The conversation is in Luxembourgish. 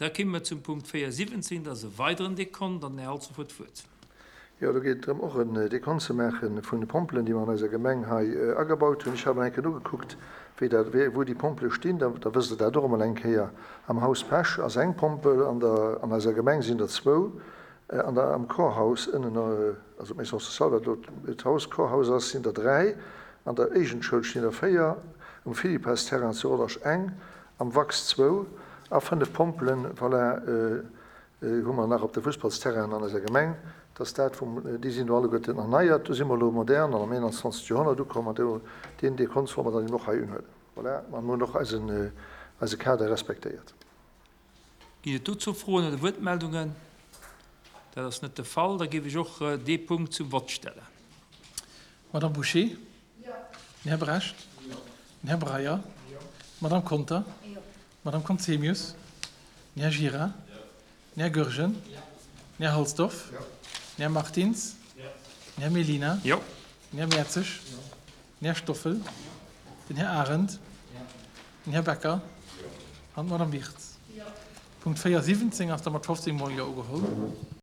Da kéime mer zum Punkt 4,17, dat ass e weideren Dekont, an den Här Halsdorf huet d'Wuert. Jo, do geet et drëm, och en Dekont ze maache vun de Pompelen, déi mer an eiser Gemeng hei agebaut hunn. Ech hat mol eng Kéier nogekuckt, wéi dat, wéi, wou déi Pompele stinn. Da, da wësst Der dat och emol eng Kéier. Am Haus Pesch ass eng Pompel, an der, an eiser Gemeng sinn der zwou, an der, am Chorhaus ënnen, also d'Maison sociale, wat elo d'Haus, Chorhaus ass, sinn der dräi, an der Éigendschoul stinn der véier, um Philippas-Terrain zu Rodange eng, Am Wachs zwou a 5 Pompelen, voilà, hu mer nach op de Fussballsterrainen an eiser Gemeng. Dass dat vum, déi sinn do alleguerten erneiert. Do si mer elo modern an am 21. Joerhonnert ukomm an do, deen Dekont solle mer dann eben och hei unhuelen. Voilà, an mer hunn och eisen, eise Kader respektéiert. Ginn et dozou Froen oder Wuertmeldungen? Dat ass net de Fall. Da géif ech och dee Punkt zum Vott stellen. Madame Bouché? Den Här Brecht? Den Här Breyer? D'Madame Conter? D'Madame Conzemius? Den Här Gira? Den Här Goergen? Den Här Halsdorf? Den Här Martins? Den Här Mellina? Den Här Mertzig? Den Här Stoffel? Den Här Arendt? Den Här Becker? An d'Madame Wirtz. Punkt 4, 17 ass da mat 15 mol Jo ugeholl.